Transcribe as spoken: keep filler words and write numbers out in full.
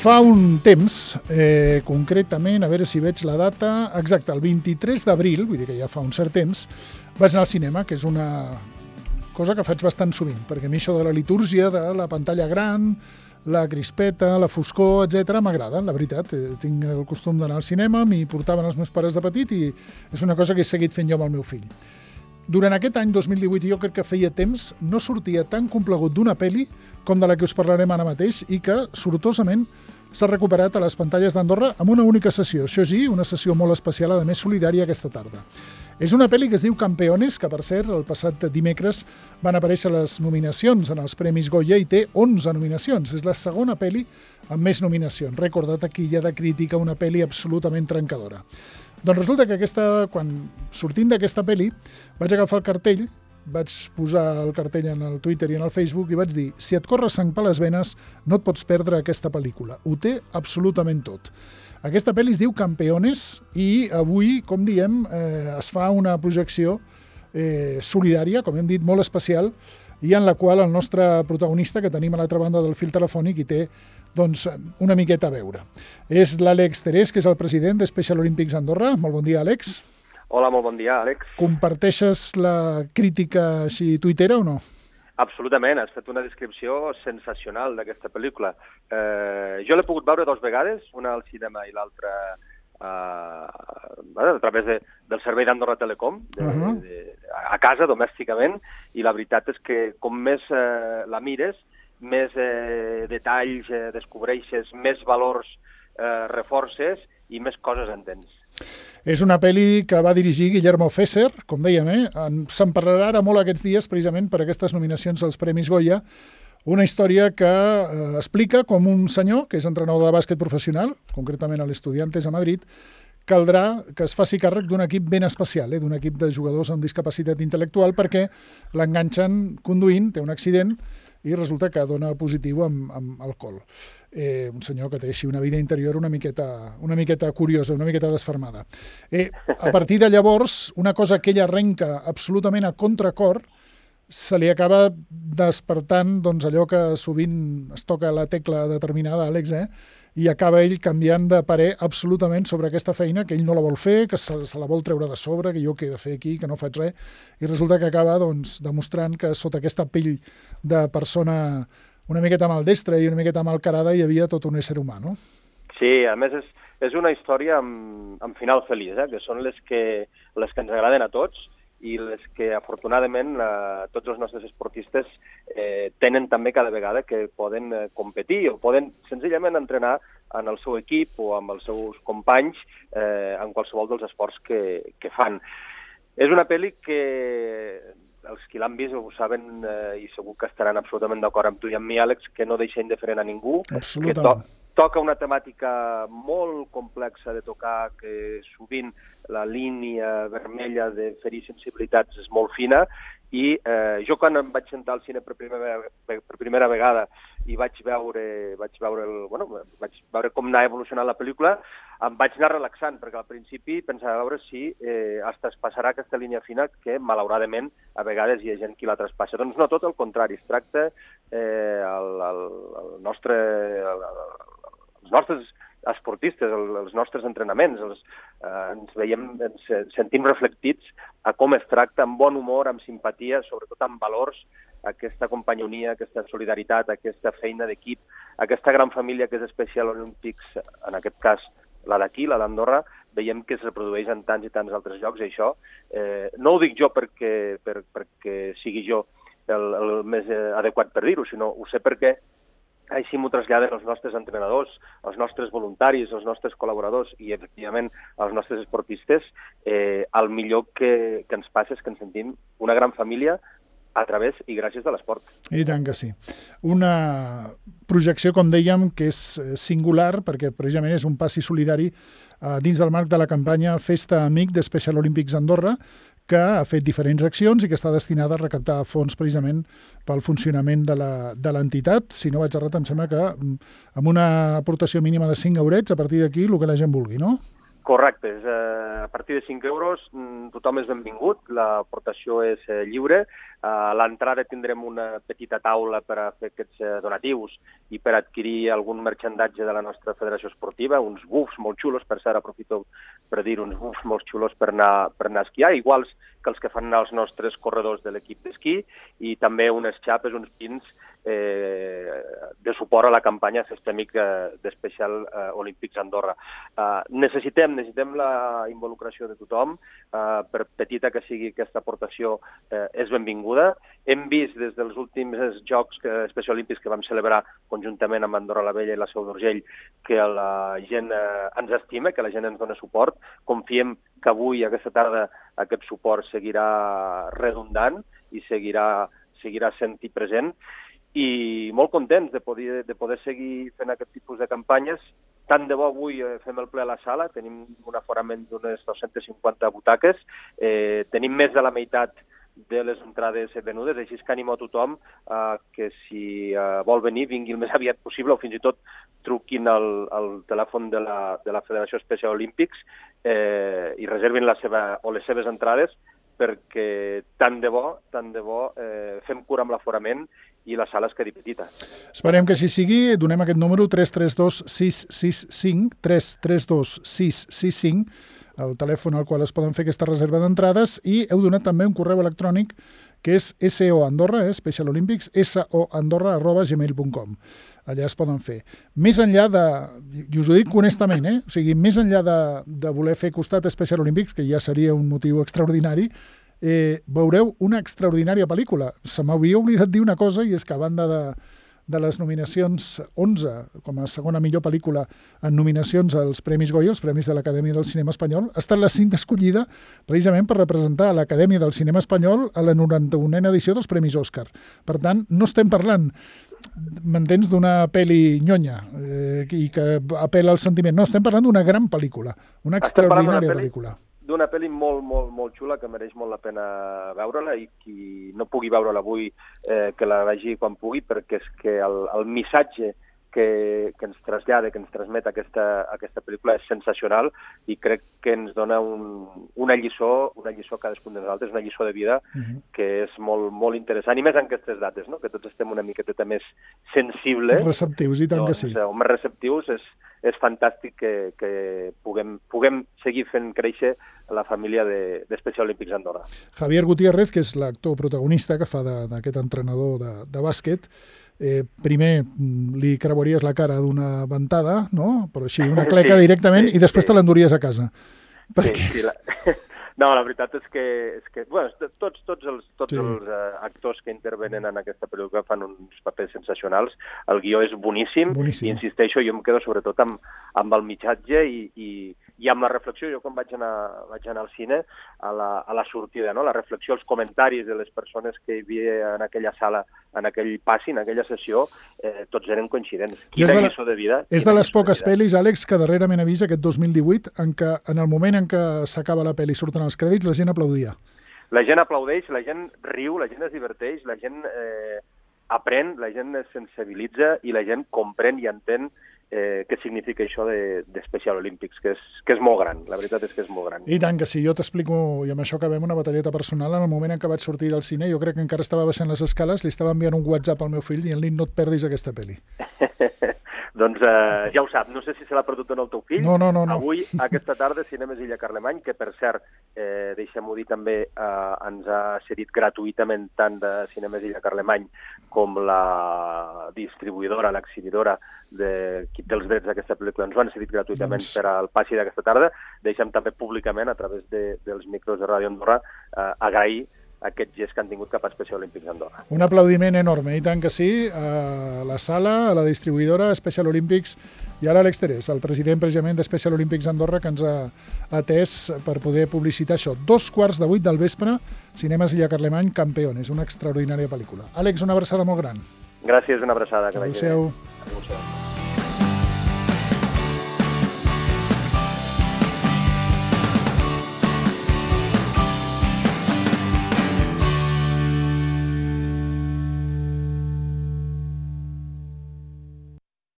Fa un temps, eh, concretament, a veure si veig la data, exacte, el vint-i-tres d'abril, vull dir que ja fa un cert temps, vaig anar al cinema, que és una cosa que faig bastant sovint, perquè a mi això de la litúrgia, de la pantalla gran, la crispeta, la foscor, etcètera, m'agrada, la veritat. Tinc el costum d'anar al cinema, m'hi portaven els meus pares de petit i és una cosa que he seguit fent jo amb el meu fill. Durant aquest any dos mil divuit, jo crec que feia temps, no sortia tan complegut d'una pel·li com de la que us parlarem ara mateix i que, sortosament, s'ha recuperat a les pantalles d'Andorra amb una única sessió. Això sí, una sessió molt especial, a més solidària, aquesta tarda. És una pel·li que es diu Campeones, que, per cert, el passat dimecres van aparèixer les nominacions en els Premis Goya i té onze nominacions. És la segona pel·li amb més nominacions. Rècord de taquilla, de crítica, una pel·li absolutament trencadora. Doncs resulta que aquesta, quan sortint d'aquesta pel·li vaig agafar el cartell, vaig posar el cartell en el Twitter i en el Facebook i vaig dir: si et corre sang per les venes, no et pots perdre aquesta pel·lícula. Ho té absolutament tot. Aquesta pel·li es diu Campeones i avui, com diem, eh, es fa una projecció eh, solidària, com hem dit, molt especial, i en la qual el nostre protagonista, que tenim a l'altra banda del fil telefònic, hi té doncs, una miqueta a veure. És l'Àlex Terés, que és el president de Special Olympics Andorra. Molt bon dia, Àlex. Hola, molt bon dia, Àlex. Comparteixes la crítica així tuitera o no? Absolutament, has fet una descripció sensacional d'aquesta pel·lícula. Eh, jo l'he pogut veure dues vegades, una al cinema i l'altra eh, a través de, del servei d'Andorra Telecom, de, uh -huh. de, a casa, domèsticament, i la veritat és que com més eh, la mires, més eh, detalls eh, descobreixes, més valors eh, reforces i més coses entens. És una pel·li que va dirigir Guillermo Fesser, com dèiem, eh? Se'n parlarà ara molt aquests dies precisament per aquestes nominacions als Premis Goya, una història que eh, explica com un senyor, que és entrenador de bàsquet professional, concretament a l'Estudiantes a Madrid, caldrà que es faci càrrec d'un equip ben especial, eh? d'un equip de jugadors amb discapacitat intel·lectual, perquè l'enganxen conduint, té un accident, i resulta que dona positiu amb, amb alcohol. Eh, un senyor que té així una vida interior una miqueta, una miqueta curiosa, una miqueta desfermada. Eh, a partir de llavors, una cosa que ell arrenca absolutament a contracor, se li acaba despertant doncs, allò que sovint es toca la tecla determinada, Àlex, eh? i acaba ell canviant de parer absolutament sobre aquesta feina, que ell no la vol fer, que se, se la vol treure de sobre, que jo què he de fer aquí, que no faig res, i resulta que acaba doncs, demostrant que sota aquesta pell de persona una miqueta maldestra i una miqueta malcarada hi havia tot un ésser humà, no? Sí, a més és, és una història amb, amb final feliç, eh? que són les que, les que ens agraden a tots, i les que, afortunadament, eh, tots els nostres esportistes eh, tenen també cada vegada que poden eh, competir o poden senzillament entrenar en el seu equip o amb els seus companys eh, en qualsevol dels esports que, que fan. És una pel·li que els qui l'han vist ho saben eh, i segur que estaran absolutament d'acord amb tu i amb mi, Àlex, que no deixa indiferent a ningú. Absolutament. Que to toca una temàtica molt complexa de tocar, que sovint la línia vermella de ferir sensibilitats és molt fina, i eh, jo quan em vaig sentar al cine per primera, per primera vegada i vaig veure, vaig veure, el, bueno, vaig veure com anava evolucionant la pel·lícula, em vaig anar relaxant, perquè al principi pensava veure si eh, es traspassarà aquesta línia fina que, malauradament, a vegades hi ha gent qui la traspassa. Doncs no, tot el contrari, es tracta eh, el, el, el nostre... El, els nostres esportistes, els nostres entrenaments, els, eh, ens veiem, ens sentim reflectits a com es tracta, amb bon humor, amb simpatia, sobretot amb valors, aquesta companyonia, aquesta solidaritat, aquesta feina d'equip, aquesta gran família que és Special Olympics, en aquest cas la d'aquí, la d'Andorra, veiem que es reprodueix en tants i tants altres llocs, i això eh, no ho dic jo perquè, per, perquè sigui jo el, el més adequat per dir-ho, sinó ho sé perquè així m'ho traslladen els nostres entrenadors, els nostres voluntaris, els nostres col·laboradors i, efectivament, els nostres esportistes. Eh, el millor que, que ens passa és que ens sentim una gran família a través i gràcies de l'esport. I tant que sí. Una projecció, com dèiem, que és singular, perquè precisament és un passi solidari eh, dins del marc de la campanya Festa Amic de Special Olympics Andorra, que ha fet diferents accions i que està destinada a recaptar fons precisament pel funcionament de l'entitat. Si no vaig errat, em sembla que amb una aportació mínima de cinc eurets, a partir d'aquí, el que la gent vulgui, no? Correcte, és, eh, a partir de cinc euros tothom és benvingut, l'aportació és eh, lliure. A l'entrada tindrem una petita taula per a fer aquests eh, donatius i per adquirir algun merchandatge de la nostra federació esportiva, uns bufs molt xulos, per cert, aprofito per dir uns bufs molt xulos per anar, per anar a esquiar, iguals que els que fan els nostres corredors de l'equip d'esquí, i també unes xapes, uns pins eh, de suport a la campanya Sistèmic d'Especial eh, Olímpics Andorra. Eh, necessitem, necessitem la involucració de tothom, eh, per petita que sigui aquesta aportació eh, és benvinguda. Hem vist des dels últims Jocs Especial Olímpics que vam celebrar conjuntament amb Andorra la Vella i la Seu d'Urgell que la gent eh, ens estima, que la gent ens dona suport. Confiem que avui, aquesta tarda, aquest suport seguirà redundant i seguirà, seguirà sent-hi present. I molt contents de poder, de poder seguir fent aquest tipus de campanyes. Tant de bo avui fem el ple a la sala, tenim un aforament d'unes dues-centes cinquanta butaques, eh, tenim més de la meitat de les entrades venudes, així que animo a tothom eh, que si eh, vol venir vingui el més aviat possible, o fins i tot truquin al, al telèfon de la, de la Federació Especial Olímpics eh, i reservin la seva, o les seves entrades, perquè tant de bo, tant de bo eh, fem cura amb l'aforament i la sala es quedi petita. Esperem que així sigui. Donem aquest número tres tres dos sis sis cinc, tres tres dos sis sis cinc, el telèfon al qual es poden fer aquesta reserva d'entrades, i heu donat també un correu electrònic que és soandorra, eh, Special Olympics, soandorra arroba gmail punt com. Allà es poden fer. Més enllà de, i us ho dic honestament, eh? O sigui, més enllà de, de voler fer costat a Special Olympics, que ja seria un motiu extraordinari, eh, veureu una extraordinària pel·lícula. Se m'havia oblidat dir una cosa, i és que a banda de, de les nominacions, onze com a segona millor pel·lícula en nominacions als Premis Goya, els Premis de l'Acadèmia del Cinema Espanyol, ha estat la cinta escollida precisament per representar l'Acadèmia del Cinema Espanyol a la noranta-unena edició dels Premis Òscar. Per tant, no estem parlant, m'entens, d'una pel·li nyonya eh, i que apel·la al sentiment. No, estem parlant d'una gran pel·lícula, una extraordinària pel·lícula. D'una pel·li molt, molt, molt xula que mereix molt la pena veure-la, i qui no pugui veure-la avui eh, que la vegi quan pugui, perquè és que el, el missatge que, que ens trasllada, que ens transmet aquesta, aquesta pel·lícula és sensacional, i crec que ens dona un, una lliçó, una lliçó a cadascun de nosaltres, una lliçó de vida uh-huh. que és molt, molt interessant, i més en aquestes dates, no? Que tots estem una miqueta més sensibles. Receptius, i tant doncs, que sí. O més receptius, és, és fantàstic que, que puguem, puguem seguir fent créixer la família d'Especial de, Olímpics Andorra. Javier Gutiérrez, que és l'actor protagonista que fa d'aquest entrenador de, de bàsquet, eh, primer li creuaries la cara d'una ventada, no? Però així, una cleca sí, directament, sí, i després sí. te l'enduries a casa. Perquè... Sí, sí, la... No, la veritat és que, és que bueno, tots, tots els, tots sí. els uh, actors que intervenen en aquesta pel·lícula fan uns papers sensacionals. El guió és boníssim, boníssim. I insisteixo, jo em quedo sobretot amb, amb el missatge i, i, i amb la reflexió. Jo quan vaig anar, vaig anar al cine, a la, a la sortida, no? La reflexió, els comentaris de les persones que hi havia en aquella sala, en aquell passi, en aquella sessió, eh, tots eren coincidents. Quina de lliçó de vida. És de les poques pel·lis, Àlex, que darrerament he vist aquest dos mil divuit, en què en el moment en què s'acaba la pel·li i surten els crèdits, la gent aplaudia. La gent aplaudeix, la gent riu, la gent es diverteix, la gent eh, aprèn, la gent es sensibilitza i la gent comprèn i entén eh, què significa això d'Especial de, Olímpics, que és, que és molt gran, la veritat és que és molt gran. I tant que sí, jo t'explico, i amb això acabem una batalleta personal. En el moment en què vaig sortir del cine, jo crec que encara estava baixant les escales, li estava enviant un WhatsApp al meu fill dient-li no et perdis aquesta pel·li. Doncs eh, ja ho sap, no sé si se l'ha perdut en el teu fill. No, no, no, no. Avui, aquesta tarda, Cinemes Illa Carlemany, que per cert, eh, deixem-ho dir també, eh, ens ha cedit gratuïtament tant de Cinemes Illa Carlemany com la distribuïdora, l'exhibidora de qui té els drets d'aquesta pel·lícula, ens ho han cedit gratuïtament doncs... per al passi d'aquesta tarda. Deixem també públicament, a través de, dels micros de Ràdio Andorra, eh, agrair aquest gest que han tingut cap a Special Olímpics Andorra. Un aplaudiment enorme, i tant que sí, a la sala, a la distribuïdora, a Special Olímpics, i a l'Àlex Terés, el president precisament de Special Olímpics Andorra, que ens ha atès per poder publicitar això. Dos quarts de vuit del vespre, Cinemes Illa Carlemany, Campeones, una extraordinària pel·lícula. Àlex, una abraçada molt gran. Gràcies, una abraçada. Adéu-siau. Adéu-siau.